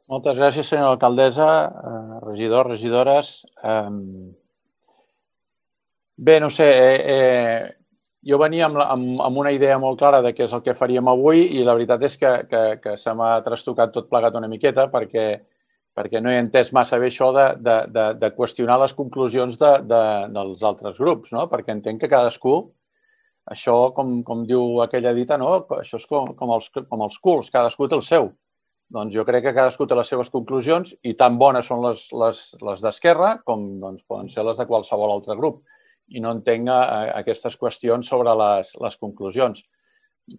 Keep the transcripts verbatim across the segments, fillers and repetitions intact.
Moltes gràcies, senyora alcaldessa, regidors, regidores. Bé, no sé, jo venia amb una idea molt clara de què és el que faríem avui i la veritat és que se m'ha trastocat tot plegat una miqueta perquè no he entès massa bé això de qüestionar les conclusions dels altres grups, perquè entenc que cadascú, això com diu aquella dita, això és com els culs, cadascú té el seu. Doncs jo crec que cadascú té les seves conclusions i tan bones són les d'Esquerra com poden ser les de qualsevol altre grup. I no entenc aquestes qüestions sobre les conclusions.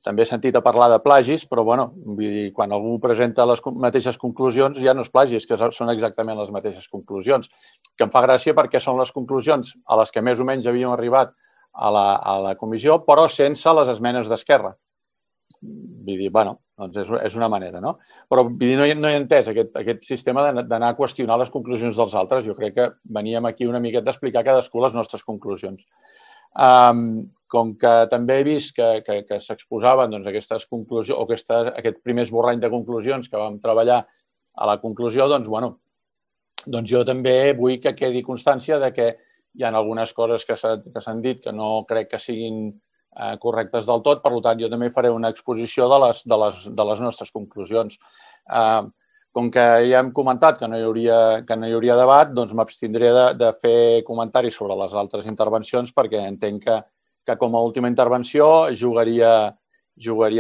També he sentit a parlar de plagis, però quan algú presenta les mateixes conclusions ja no és plagi, és que són exactament les mateixes conclusions. Que em fa gràcia perquè són les conclusions a les que més o menys havíem arribat a la comissió, però sense les esmenes d'Esquerra. Vull dir, bueno, doncs és una manera, no? Però no he entès aquest sistema d'anar a qüestionar les conclusions dels altres. Jo crec que veníem aquí una miqueta a explicar cadascú les nostres conclusions. Com que també he vist que s'exposaven aquestes conclusions o aquest primer esborrany de conclusions que vam treballar a la conclusió, doncs, bueno, doncs jo també vull que quedi constància de que hi ha algunes coses que s'han dit que no crec que siguin correctes del tot, per tant, jo també faré una exposició de les nostres conclusions. Com que ja hem comentat que no hi hauria debat, doncs m'abstindré de fer comentaris sobre les altres intervencions perquè entenc que com a última intervenció jugaria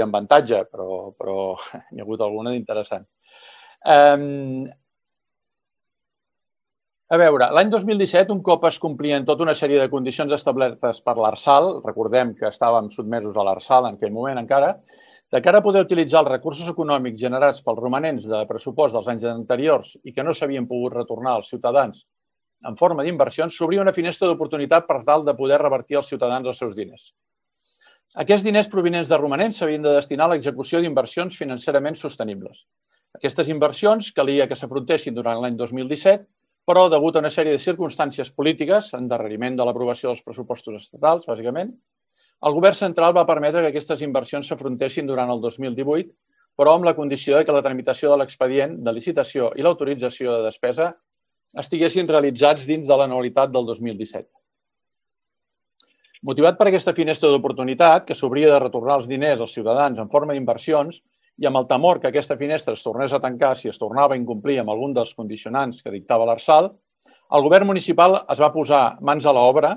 amb avantatge, però n'hi ha hagut alguna d'interessant. A veure, l'any dos mil disset, un cop es complien tota una sèrie de condicions establertes per l'Arsal, recordem que estàvem sotmesos a l'Arsal en aquell moment encara, de cara a poder utilitzar els recursos econòmics generats pels romanents de pressupost dels anys anteriors i que no s'havien pogut retornar als ciutadans en forma d'inversions, s'obria una finestra d'oportunitat per tal de poder revertir als ciutadans els seus diners. Aquests diners provinents de romanents s'havien de destinar a l'execució d'inversions financerament sostenibles. Aquestes inversions calia que s'afrontessin durant l'any dos mil disset, però, degut a una sèrie de circumstàncies polítiques, endarreriment de l'aprovació dels pressupostos estatals, bàsicament, el govern central va permetre que aquestes inversions s'afrontessin durant el dos mil divuit, però amb la condició que la tramitació de l'expedient de licitació i l'autorització de despesa estiguessin realitzats dins de l'anualitat del dos mil disset. Motivat per aquesta finestra d'oportunitat, que s'obria de retornar els diners als ciutadans en forma d'inversions, i amb el temor que aquesta finestra es tornés a tancar si es tornava a incomplir amb algun dels condicionants que dictava l'Arsal, el govern municipal es va posar mans a l'obra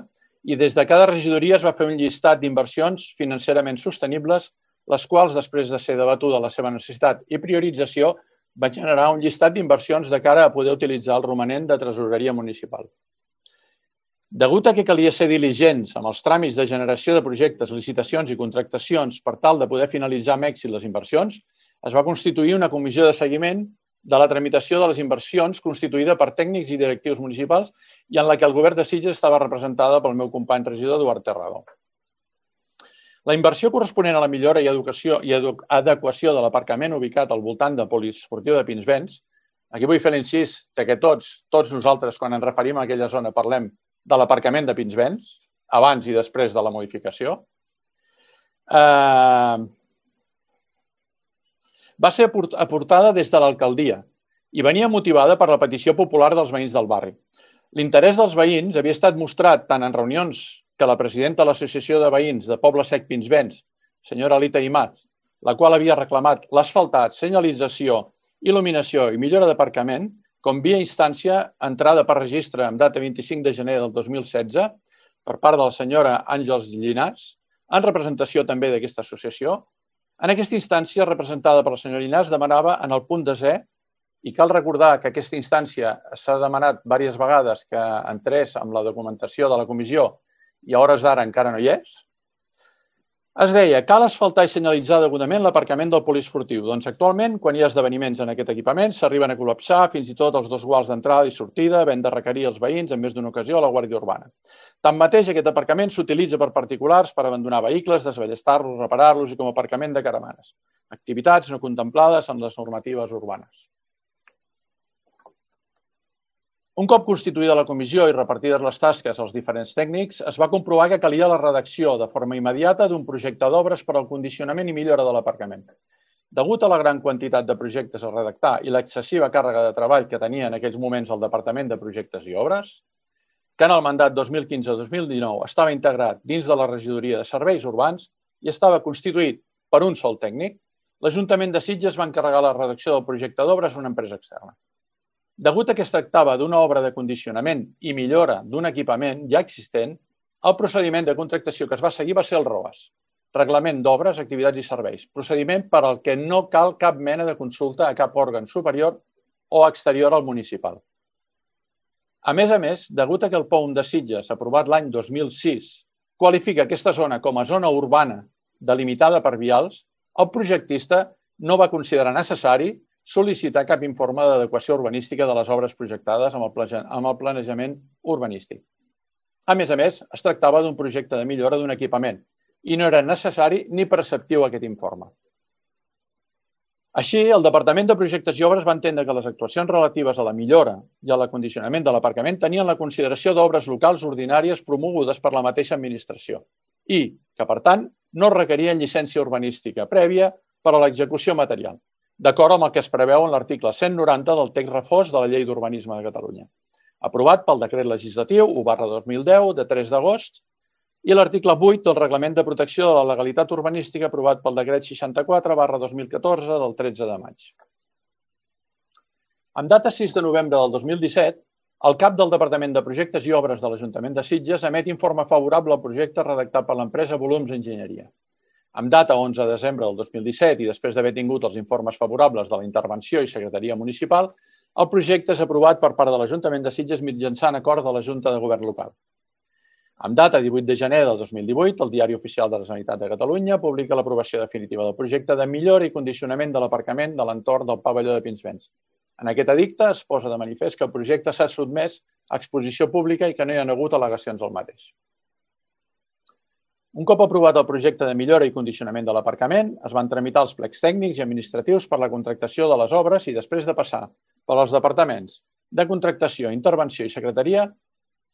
i des de cada regidoria es va fer un llistat d'inversions financerament sostenibles, les quals, després de ser debatuda la seva necessitat i priorització, va generar un llistat d'inversions de cara a poder utilitzar el romanent de tresoreria municipal. Degut a que calia ser diligents amb els tràmits de generació de projectes, licitacions i contractacions per tal de poder finalitzar amb èxit les inversions, es va constituir una comissió de seguiment de la tramitació de les inversions constituïda per tècnics i directius municipals i en la que el govern de Sitges estava representada pel meu company regidor Eduard Terrado. La inversió corresponent a la millora i adequació de l'aparcament ubicat al voltant del poliesportiu de Pinsbens, aquí vull fer l'incís que tots, tots nosaltres, quan ens referim a aquella zona, parlem de l'aparcament de Pinsbens, abans i després de la modificació, va ser aportada des de l'alcaldia i venia motivada per la petició popular dels veïns del barri. L'interès dels veïns havia estat mostrat tant en reunions que la presidenta de l'Associació de Veïns de Poble Sec Pinsbens, senyora Alita Imaz, la qual havia reclamat l'asfaltat, senyalització, il·luminació i millora d'aparcament, com via instància entrada per registre amb data vint-i-cinc de gener del dos mil setze per part de la senyora Àngels Llinàs, en representació també d'aquesta associació. En aquesta instància, representada per la senyora Llinàs, demanava en el punt desè, i cal recordar que aquesta instància s'ha demanat diverses vegades que entrés amb la documentació de la comissió i a hores d'ara encara no hi és, es deia, cal asfaltar i senyalitzar degudament l'aparcament del poliesportiu. Doncs actualment, quan hi ha esdeveniments en aquest equipament, s'arriben a col·lapsar fins i tot els dos guals d'entrada i sortida, havent de requerir els veïns en més d'una ocasió a la Guàrdia Urbana. Tanmateix, aquest aparcament s'utilitza per particulars per abandonar vehicles, desballestar-los, reparar-los i com a aparcament de caravanes. Activitats no contemplades en les normatives urbanes. Un cop constituïda la comissió i repartides les tasques als diferents tècnics, es va comprovar que calia la redacció de forma immediata d'un projecte d'obres per al condicionament i millora de l'aparcament. Degut a la gran quantitat de projectes a redactar i l'excessiva càrrega de treball que tenia en aquells moments el Departament de Projectes i Obres, que en el mandat dos mil quinze dos mil dinou estava integrat dins de la Regidoria de Serveis Urbans i estava constituït per un sol tècnic, l'Ajuntament de Sitges va encarregar la redacció del projecte d'obres a una empresa externa. Degut a que es tractava d'una obra de condicionament i millora d'un equipament ja existent, el procediment de contractació que es va seguir va ser el ROAS, Reglament d'Obres, Activitats i Serveis, procediment per al que no cal cap mena de consulta a cap òrgan superior o exterior al municipal. A més a més, degut a que el P O U M de Sitges, aprovat l'any dos mil sis, qualifica aquesta zona com a zona urbana delimitada per vials, el projectista no va considerar necessari sol·licitar cap informe d'adequació urbanística de les obres projectades amb el planejament urbanístic. A més a més, es tractava d'un projecte de millora d'un equipament i no era necessari ni preceptiu aquest informe. Així, el Departament de Projectes i Obres va entendre que les actuacions relatives a la millora i a l'acondicionament de l'aparcament tenien la consideració d'obres locals ordinàries promogudes per la mateixa administració i que, per tant, no requerien llicència urbanística prèvia per a l'execució material, d'acord amb el que es preveu en l'article cent noranta del text refós de la Llei d'Urbanisme de Catalunya, aprovat pel Decret Legislatiu u barra dos mil deu de tres d'agost i l'article vuit del Reglament de Protecció de la Legalitat Urbanística aprovat pel Decret seixanta-quatre barra dos mil catorze del tretze de maig. En data sis de novembre del dos mil disset, el cap del Departament de Projectes i Obres de l'Ajuntament de Sitges emet informe favorable al projecte redactat per l'empresa Volums Enginyeria. Amb data onze de desembre del dos mil disset i després d'haver tingut els informes favorables de la Intervenció i Secretaria Municipal, el projecte és aprovat per part de l'Ajuntament de Sitges mitjançant acord de la Junta de Govern Local. Amb data divuit de gener del dos mil divuit, el Diari Oficial de la Generalitat de Catalunya publica l'aprovació definitiva del projecte de millora i condicionament de l'aparcament de l'entorn del pavelló de Pinsbens. En aquest edicte es posa de manifest que el projecte s'ha sotmès a exposició pública i que no hi ha hagut al·legacions al mateix. Un cop aprovat el projecte de millora i condicionament de l'aparcament, es van tramitar els plecs tècnics i administratius per la contractació de les obres i després de passar per als departaments de contractació, intervenció i secretaria,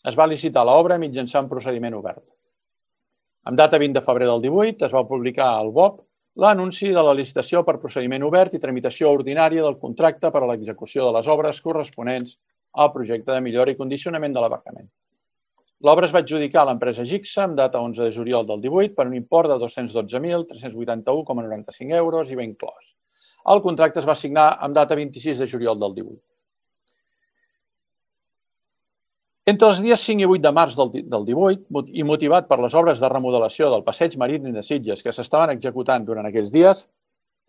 es va licitar l'obra mitjançant procediment obert. Amb data vint de febrer del divuit es va publicar al B O P l'anunci de la licitació per procediment obert i tramitació ordinària del contracte per a l'execució de les obres corresponents al projecte de millora i condicionament de l'aparcament. L'obra es va adjudicar a l'empresa Gixa amb data onze de juliol del divuit per un import de dos-cents dotze mil tres-cents vuitanta-u coma noranta-cinc euros i va inclòs. El contracte es va signar amb data vint-i-sis de juliol del divuit. Entre els dies cinc i vuit de març del divuit, i motivat per les obres de remodelació del passeig marítim de Sitges que s'estaven executant durant aquells dies,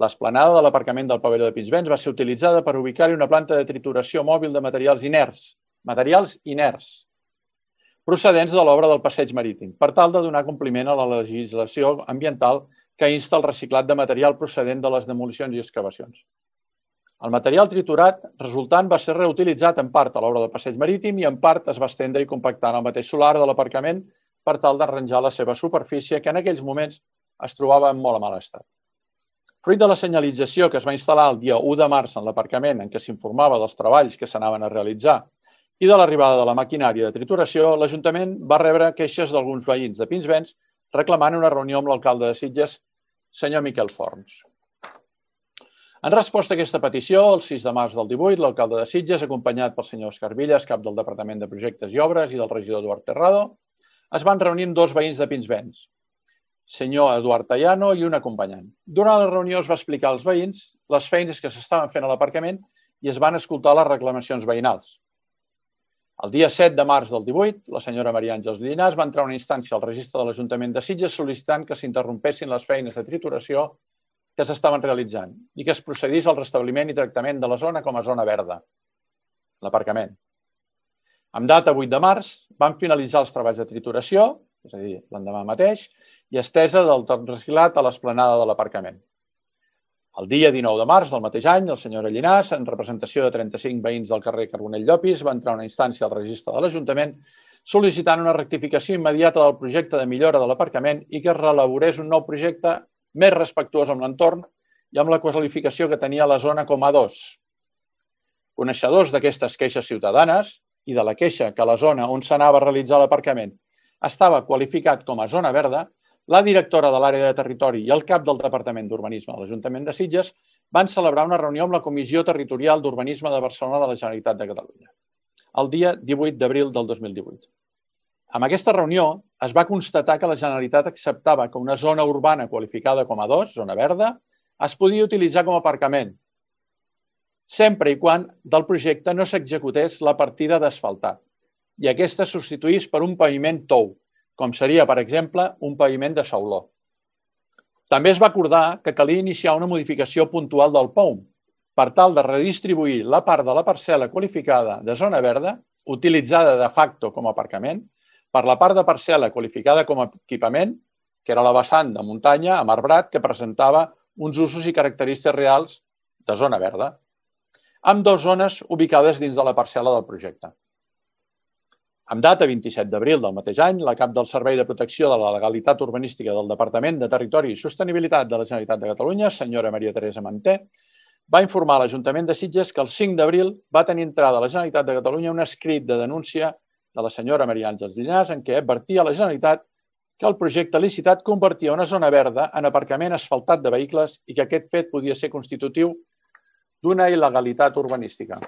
l'esplanada de l'aparcament del pavelló de Pinsbens va ser utilitzada per ubicar-hi una planta de trituració mòbil de materials inerts, materials inerts, procedents de l'obra del passeig marítim, per tal de donar compliment a la legislació ambiental que insta el reciclat de material procedent de les demolicions i excavacions. El material triturat resultant va ser reutilitzat en part a l'obra del passeig marítim i en part es va estendre i compactar en el mateix solar de l'aparcament per tal d'arranjar la seva superfície que en aquells moments es trobava en molt mal estat. Fruit de la senyalització que es va instal·lar el dia u de març en l'aparcament en què s'informava dels treballs que s'anaven a realitzar i de l'arribada de la maquinària de trituració, l'Ajuntament va rebre queixes d'alguns veïns de Pinsbens reclamant una reunió amb l'alcalde de Sitges, senyor Miquel Forns. En resposta a aquesta petició, el sis de març del divuit, l'alcalde de Sitges, acompanyat pel senyor Òscar Villas, cap del Departament de Projectes i Obres, i del regidor Eduard Terrado, es van reunir amb dos veïns de Pinsbens, senyor Eduard Tallano i un acompanyant. Durant la reunió es va explicar als veïns les feines que s'estaven fent a l'aparcament i es van escoltar les reclamacions veïnals. El dia set de març del divuit, la senyora Maria Àngels Llinàs va entrar una instància al registre de l'Ajuntament de Sitges sol·licitant que s'interrompessin les feines de trituració que s'estaven realitzant i que es procedís al restabliment i tractament de la zona com a zona verda, l'aparcament. Amb data vuit de març van finalitzar els treballs de trituració, és a dir, l'endemà mateix, i estesa del torn reciclat a l'esplanada de l'aparcament. El dia dinou de març del mateix any, el senyor Llinàs, en representació de trenta-cinc veïns del carrer Carbonell Llopis, va entrar una instància al registre de l'Ajuntament sol·licitant una rectificació immediata del projecte de millora de l'aparcament i que es reelaborés un nou projecte més respectuós amb l'entorn i amb la qualificació que tenia la zona com a dos. Coneixedors d'aquestes queixes ciutadanes i de la queixa que la zona on s'anava a realitzar l'aparcament estava qualificat com a zona verda, la directora de l'àrea de territori i el cap del Departament d'Urbanisme de l'Ajuntament de Sitges van celebrar una reunió amb la Comissió Territorial d'Urbanisme de Barcelona de la Generalitat de Catalunya, el dia divuit d'abril del dos mil divuit. Amb aquesta reunió es va constatar que la Generalitat acceptava que una zona urbana qualificada com a dos, zona verda, es podia utilitzar com a aparcament, sempre i quan del projecte no s'executés la partida d'asfaltat i aquesta es substituís per un paviment tou, com seria, per exemple, un paviment de sauló. També es va acordar que calia iniciar una modificació puntual del P O U M per tal de redistribuir la part de la parcel·la qualificada de zona verda, utilitzada de facto com a aparcament, per la part de parcel·la qualificada com a equipament, que era la vessant de muntanya amb arbrat que presentava uns usos i característiques reals de zona verda, amb dues zones ubicades dins de la parcel·la del projecte. Amb data vint-i-set d'abril del mateix any, la cap del Servei de Protecció de la Legalitat Urbanística del Departament de Territori i Sostenibilitat de la Generalitat de Catalunya, senyora Maria Teresa Manté, va informar a l'Ajuntament de Sitges que el cinc d'abril va tenir entrada a la Generalitat de Catalunya un escrit de denúncia de la senyora Maria Àngels Llinàs en què advertia a la Generalitat que el projecte licitat convertia una zona verda en aparcament asfaltat de vehicles i que aquest fet podia ser constitutiu d'una il·legalitat urbanística.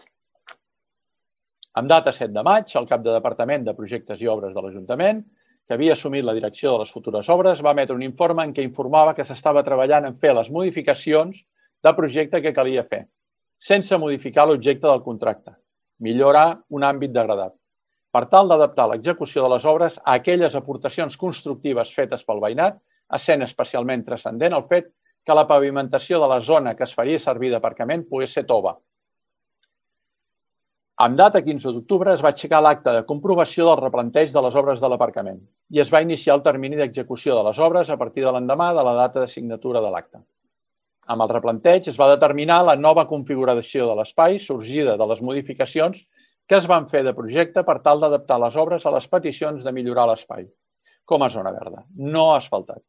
Amb data set de maig, el cap de Departament de Projectes i Obres de l'Ajuntament, que havia assumit la direcció de les futures obres, va emetre un informe en què informava que s'estava treballant en fer les modificacions de projecte que calia fer, sense modificar l'objecte del contracte, millorar un àmbit degradat, per tal d'adaptar l'execució de les obres a aquelles aportacions constructives fetes pel veïnat, essent especialment transcendent el fet que la pavimentació de la zona que es faria servir d'aparcament pogués ser tova. Amb data quinze d'octubre es va aixecar l'acte de comprovació del replanteig de les obres de l'aparcament i es va iniciar el termini d'execució de les obres a partir de l'endemà de la data de signatura de l'acte. Amb el replanteig es va determinar la nova configuració de l'espai sorgida de les modificacions que es van fer de projecte per tal d'adaptar les obres a les peticions de millorar l'espai, com a zona verda, no asfaltat.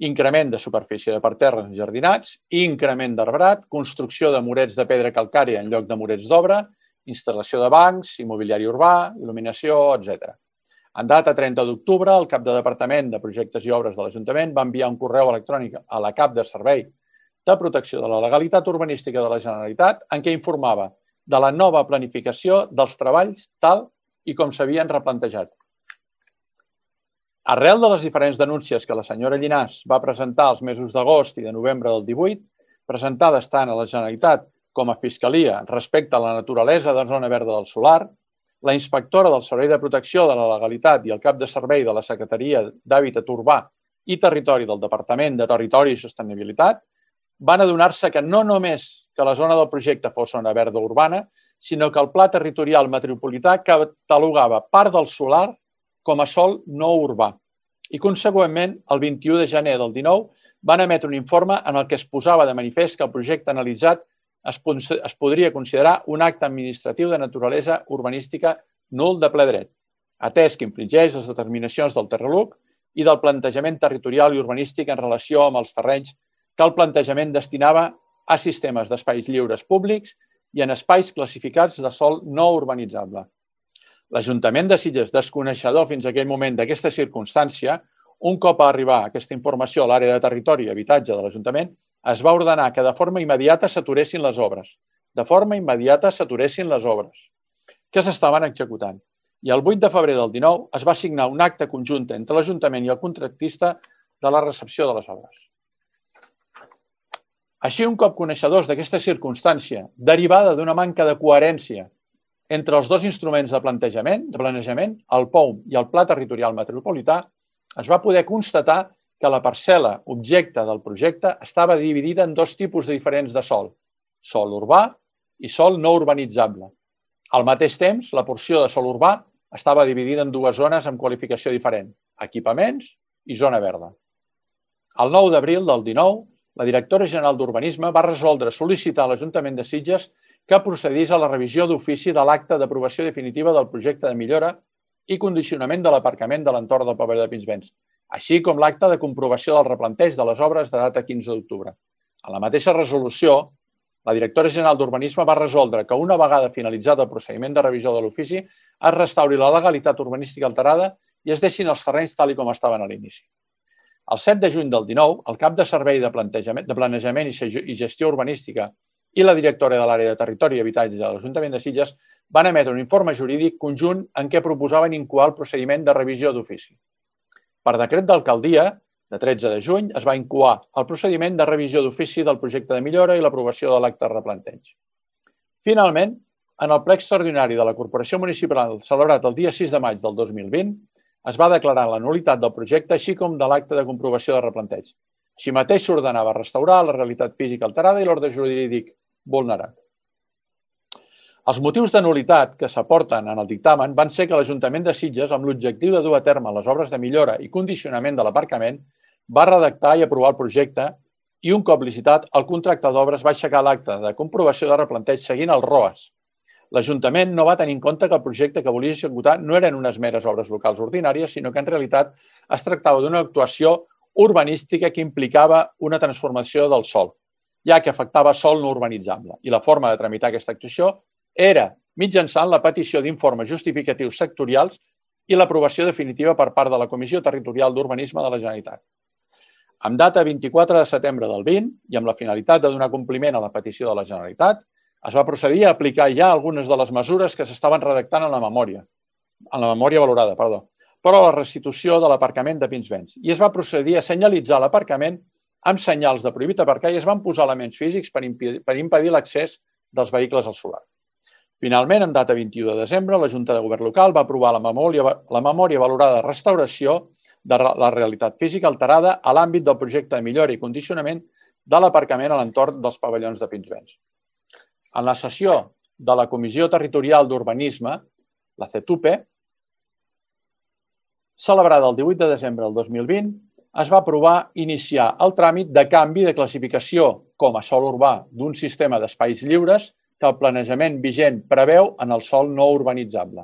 Increment de superfície de parterres enjardinats, increment d'arbrat, construcció de murets de pedra calcària en lloc de murets d'obra, instal·lació de bancs, immobiliari urbà, il·luminació, etcètera. En data trenta d'octubre, el cap de Departament de Projectes i Obres de l'Ajuntament va enviar un correu electrònic a la cap de Servei de Protecció de la Legalitat Urbanística de la Generalitat en què informava de la nova planificació dels treballs tal i com s'havien replantejat. Arrel de les diferents denúncies que la senyora Llinàs va presentar els mesos d'agost i de novembre del divuit, presentades tant a la Generalitat com a Fiscalia respecte a la naturalesa de zona verda del solar, la inspectora del Servei de Protecció de la Legalitat i el cap de servei de la Secretaria d'Hàbitat Urbà i Territori del Departament de Territori i Sostenibilitat van adonar-se que no només que la zona del projecte fos zona verda urbana, sinó que el Pla Territorial Metropolità catalogava part del solar com a sòl no urbà. I, consegüentment, el vint-i-u de gener del dinou van emetre un informe en el que es posava de manifest que el projecte analitzat es, es podria considerar un acte administratiu de naturalesa urbanística nul de ple dret, atès que infringeix les determinacions del Terraluc i del plantejament territorial i urbanístic en relació amb els terrenys que el plantejament destinava a sistemes d'espais lliures públics i en espais classificats de sòl no urbanitzable. L'Ajuntament de Sitges, desconeixedor fins a aquell moment d'aquesta circumstància, un cop a arribar aquesta informació a l'àrea de territori i habitatge de l'Ajuntament, es va ordenar que de forma immediata s'aturessin les obres. De forma immediata s'aturessin les obres que s'estaven executant. I el vuit de febrer del dinou es va signar un acte conjunt entre l'Ajuntament i el contractista de la recepció de les obres. Així, un cop coneixedors d'aquesta circumstància, derivada d'una manca de coherència entre els dos instruments de plantejament, de planejament, el P O U M i el Pla Territorial Metropolità, es va poder constatar que la parcel·la objecte del projecte estava dividida en dos tipus diferents de sòl, sòl urbà i sòl no urbanitzable. Al mateix temps, la porció de sòl urbà estava dividida en dues zones amb qualificació diferent, equipaments i zona verda. El nou d'abril del dinou, la directora general d'Urbanisme va resoldre sol·licitar a l'Ajuntament de Sitges que procedís a la revisió d'ofici de l'acte d'aprovació definitiva del projecte de millora i condicionament de l'aparcament de l'entorn del Pavelló de Pinsbens, així com l'acte de comprovació del replanteig de les obres de data quinze d'octubre. A la mateixa resolució, la directora general d'Urbanisme va resoldre que una vegada finalitzat el procediment de revisió de l'ofici es restauri la legalitat urbanística alterada i es deixin els terrenys tal com estaven a l'inici. El set de juny del dinou, el cap de servei de planejament i gestió urbanística i la directora de l'àrea de territori i habitatge de l'Ajuntament de Sitges van emetre un informe jurídic conjunt en què proposaven incoar el procediment de revisió d'ofici. Per decret d'alcaldia, de tretze de juny, es va incoar el procediment de revisió d'ofici del projecte de millora i l'aprovació de l'acte de replanteig. Finalment, en el ple extraordinari de la Corporació Municipal celebrat el dia sis de maig del dos mil vint, es va declarar la nul·litat del projecte així com de l'acte de comprovació de replanteig. Així mateix s'ordenava restaurar la realitat física alterada i l'ordre jurídic vulnerat. Els motius de nul·litat que s'aporten en el dictamen van ser que l'Ajuntament de Sitges, amb l'objectiu de dur a terme les obres de millora i condicionament de l'aparcament, va redactar i aprovar el projecte i un cop licitat, el contracte d'obres va aixecar l'acte de comprovació de replanteig seguint el R O A S. L'Ajuntament no va tenir en compte que el projecte que volia executar no eren unes meres obres locals ordinàries, sinó que en realitat es tractava d'una actuació urbanística que implicava una transformació del sòl, ja que afectava sòl no urbanitzable. I la forma de tramitar aquesta actuació era mitjançant la petició d'informes justificatius sectorials i l'aprovació definitiva per part de la Comissió Territorial d'Urbanisme de la Generalitat. Amb data vint-i-quatre de setembre del vint i amb la finalitat de donar compliment a la petició de la Generalitat, es va procedir a aplicar ja algunes de les mesures que s'estaven redactant en la memòria, en la memòria valorada, perdó, però a la restitució de l'aparcament de Pinsbens. I es va procedir a senyalitzar l'aparcament amb senyals de prohibit aparcar i es van posar elements físics per impedir l'accés dels vehicles al solar. Finalment, en data vint-i-u de desembre, la Junta de Govern Local va aprovar la memòria valorada de restauració de la realitat física alterada a l'àmbit del projecte de millora i condicionament de l'aparcament a l'entorn dels pavellons de Pinsbens. En la sessió de la Comissió Territorial d'Urbanisme, la C E T U P E, celebrada el divuit de desembre del dos mil vint, es va aprovar iniciar el tràmit de canvi de classificació com a sòl urbà d'un sistema d'espais lliures que el planejament vigent preveu en el sòl no urbanitzable.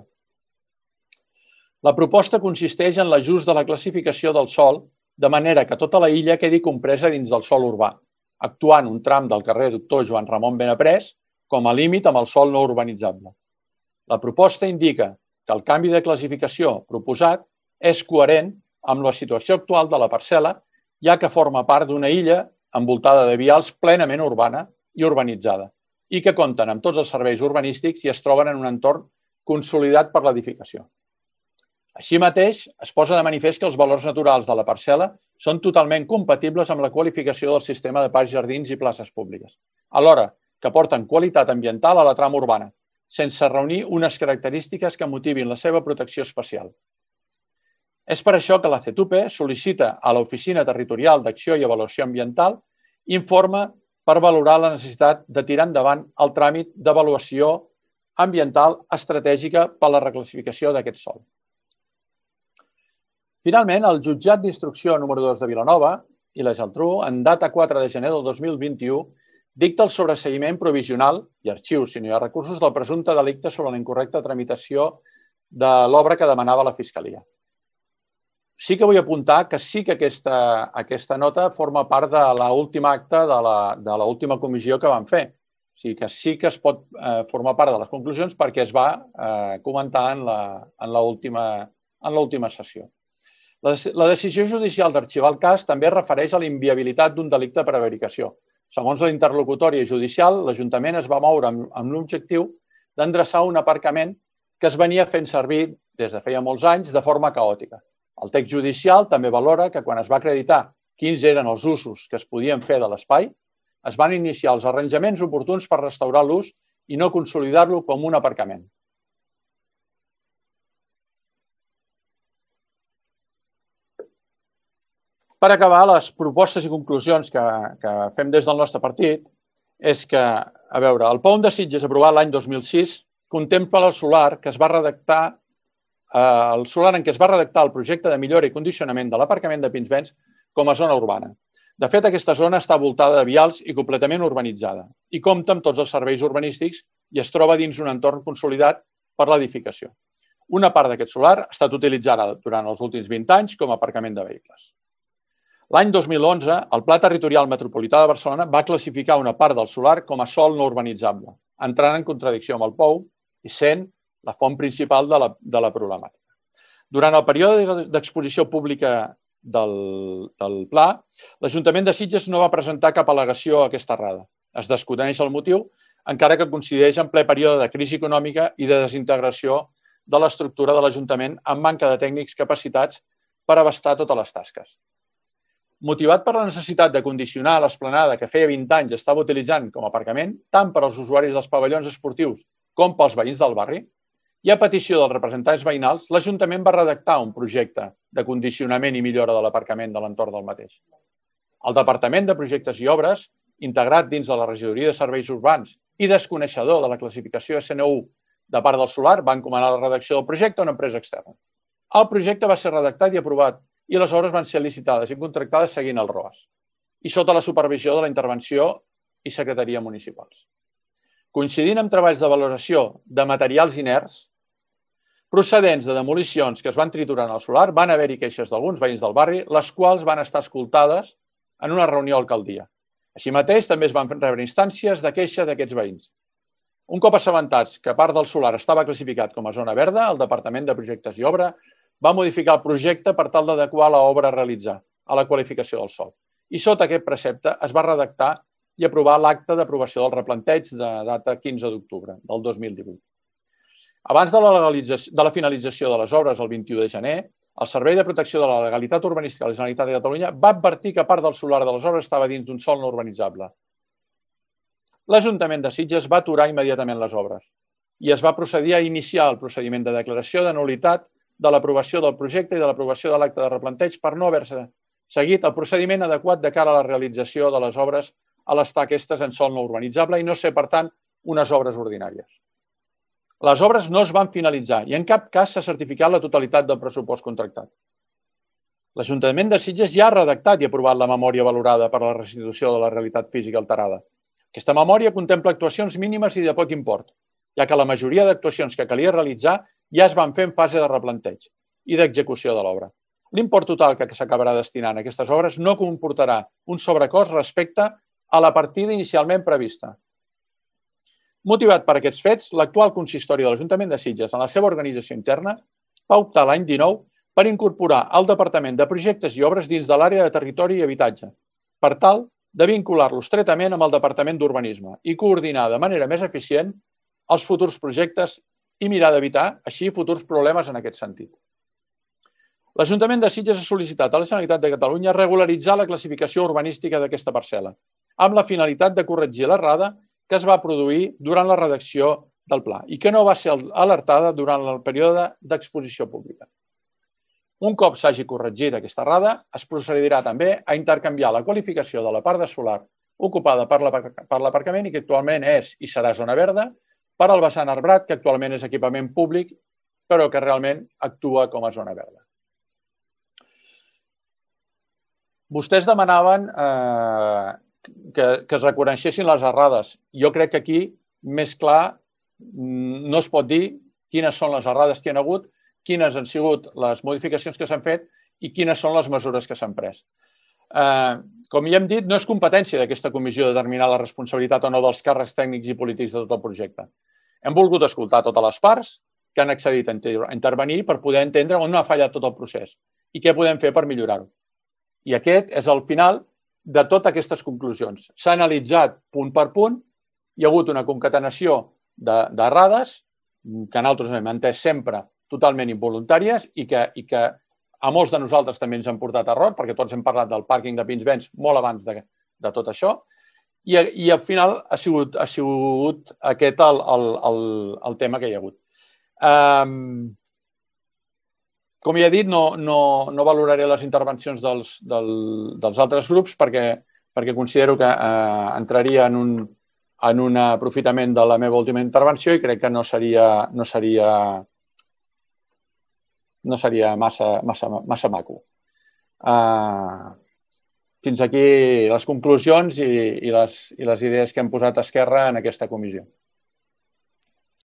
La proposta consisteix en l'ajust de la classificació del sòl de manera que tota la illa quedi compresa dins del sòl urbà, actuant un tram del carrer Doctor Joan Ramon Benaprés com a límit amb el sòl no urbanitzable. La proposta indica que el canvi de classificació proposat és coherent amb la situació actual de la parcel·la, ja que forma part d'una illa envoltada de vials plenament urbana i urbanitzada i que compten amb tots els serveis urbanístics i es troben en un entorn consolidat per l'edificació. Així mateix, es posa de manifest que els valors naturals de la parcel·la són totalment compatibles amb la qualificació del sistema de parcs, jardins i places públiques, alhora que aporten qualitat ambiental a la trama urbana, sense reunir unes característiques que motivin la seva protecció especial. És per això que la C E T U P E sol·licita a l'Oficina Territorial d'Acció i Avaluació Ambiental informe per valorar la necessitat de tirar endavant el tràmit d'avaluació ambiental estratègica per a la reclassificació d'aquest sòl. Finalment, el Jutjat d'Instrucció número dos de Vilanova i la Geltrú, en data quatre de gener del dos mil vint-i-u, dicta el sobreseïment provisional i arxiu, si no hi ha recursos, del presumpte delicte sobre la incorrecta tramitació de l'obra que demanava la Fiscalia. Sí que vull apuntar que sí que aquesta, aquesta nota forma part de l'últim acte de l'última comissió que vam fer. O sigui que sí que es pot eh, formar part de les conclusions perquè es va eh, comentar en l'última sessió. La, la decisió judicial d'arxivar el cas també es refereix a la inviabilitat d'un delicte per prevaricació. Segons la interlocutòria judicial, l'Ajuntament es va moure amb, amb l'objectiu d'endreçar un aparcament que es venia fent servir des de feia molts anys de forma caòtica. El text judicial també valora que quan es va acreditar quins eren els usos que es podien fer de l'espai, es van iniciar els arranjaments oportuns per restaurar l'ús i no consolidar-lo com un aparcament. Per acabar, les propostes i conclusions que, que fem des del nostre partit és que, a veure, el P O U M de Sitges aprovat l'any dos mil sis contempla el solar que es va redactar el solar en què es va redactar el projecte de millora i condicionament de l'aparcament de Pinsbens com a zona urbana. De fet, aquesta zona està voltada de vials i completament urbanitzada i compta amb tots els serveis urbanístics i es troba dins un entorn consolidat per l'edificació. Una part d'aquest solar ha estat utilitzada durant els últims vint anys com a aparcament de vehicles. L'any dos mil onze, el Pla Territorial Metropolità de Barcelona va classificar una part del solar com a sòl no urbanitzable, entrant en contradicció amb el P O U i sent la font principal de la, de la problemàtica. Durant el període d'exposició pública del, del pla, l'Ajuntament de Sitges no va presentar cap al·legació a aquesta errada. Es desconeix el motiu, encara que coincideix en ple període de crisi econòmica i de desintegració de l'estructura de l'Ajuntament amb manca de tècnics capacitats per abastar totes les tasques. Motivat per la necessitat de condicionar l'esplanada que feia vint anys estava utilitzant com a aparcament, tant per als usuaris dels pavellons esportius com pels veïns del barri, i a petició dels representants veïnals, l'Ajuntament va redactar un projecte de condicionament i millora de l'aparcament de l'entorn del mateix. El Departament de Projectes i Obres, integrat dins de la Regidoria de Serveis Urbans i desconeixedor de la classificació S N U de part del solar, va encomanar la redacció del projecte a una empresa externa. El projecte va ser redactat i aprovat i les obres van ser licitades i contractades seguint el R O A S i sota la supervisió de la intervenció i secretaria municipals. Coincidint amb treballs de valoració de materials inerts procedents de demolicions que es van triturar en el solar, van haver-hi queixes d'alguns veïns del barri, les quals van estar escoltades en una reunió a l'alcaldia. Així mateix, també es van rebre instàncies de queixa d'aquests veïns. Un cop assabentats que part del solar estava classificat com a zona verda, el Departament de Projectes i Obra va modificar el projecte per tal d'adequar l'obra a realitzar a la qualificació del sòl. I sota aquest precepte es va redactar i aprovar l'acte d'aprovació del replanteig de data quinze d'octubre del dos mil divuit. Abans de la, de la finalització de les obres el vint-i-u de gener, el Servei de Protecció de la Legalitat Urbanística de la Generalitat de Catalunya va advertir que part del solar de les obres estava dins d'un sòl no urbanitzable. L'Ajuntament de Sitges va aturar immediatament les obres i es va procedir a iniciar el procediment de declaració de nul·litat de l'aprovació del projecte i de l'aprovació de l'acte de replanteig per no haver-se seguit el procediment adequat de cara a la realització de les obres a l'estar aquestes en sòl no urbanitzable i no ser, per tant, unes obres ordinàries. Les obres no es van finalitzar i en cap cas s'ha certificat la totalitat del pressupost contractat. L'Ajuntament de Sitges ja ha redactat i aprovat la memòria valorada per a la restitució de la realitat física alterada. Aquesta memòria contempla actuacions mínimes i de poc import, ja que la majoria d'actuacions que calia realitzar ja es van fer en fase de replanteig i d'execució de l'obra. L'import total que s'acabarà destinant a aquestes obres no comportarà un sobrecost respecte a la partida inicialment prevista. Motivat per aquests fets, l'actual consistori de l'Ajuntament de Sitges, en la seva organització interna, va optar l'any dinou per incorporar el Departament de Projectes i Obres dins de l'àrea de Territori i Habitatge, per tal de vincular-lo estretament amb el Departament d'Urbanisme i coordinar de manera més eficient els futurs projectes i mirar d'evitar, així, futurs problemes en aquest sentit. L'Ajuntament de Sitges ha sol·licitat a la Generalitat de Catalunya regularitzar la classificació urbanística d'aquesta parcel·la, amb la finalitat de corregir l'errada que es va produir durant la redacció del pla i que no va ser alertada durant el període d'exposició pública. Un cop s'hagi corregit aquesta errada, es procedirà també a intercanviar la qualificació de la part de solar ocupada per l'aparcament i que actualment és i serà zona verda per al vessant arbrat, que actualment és equipament públic, però que realment actua com a zona verda. Vostès demanaven eh, que, que es reconeixessin les errades. Jo crec que aquí, més clar, no es pot dir quines són les errades que hi ha hagut, quines han sigut les modificacions que s'han fet i quines són les mesures que s'han pres. Eh, com ja hem dit, no és competència d'aquesta comissió determinar la responsabilitat o no dels càrrecs tècnics i polítics de tot el projecte. Hem volgut escoltar totes les parts que han accedit a intervenir per poder entendre on ha fallat tot el procés i què podem fer per millorar-ho. I aquest és el final de totes aquestes conclusions. S'ha analitzat punt per punt, hi ha hagut una concatenació d'errades que nosaltres hem entès sempre totalment involuntàries i que, i que a molts de nosaltres també ens han portat a error, perquè tots hem parlat del pàrquing de Pinsbens molt abans de, de tot això, i, i al final ha sigut, ha sigut aquest el, el, el, el tema que hi ha hagut. Um, com ja he dit, no, no, no valoraré les intervencions dels, del, dels altres grups perquè, perquè considero que eh, entraria en un, en un aprofitament de la meva última intervenció i crec que no seria, no seria no seria massa, massa, massa maco. Uh, fins aquí les conclusions i, i, les, i les idees que hem posat a esquerra en aquesta comissió.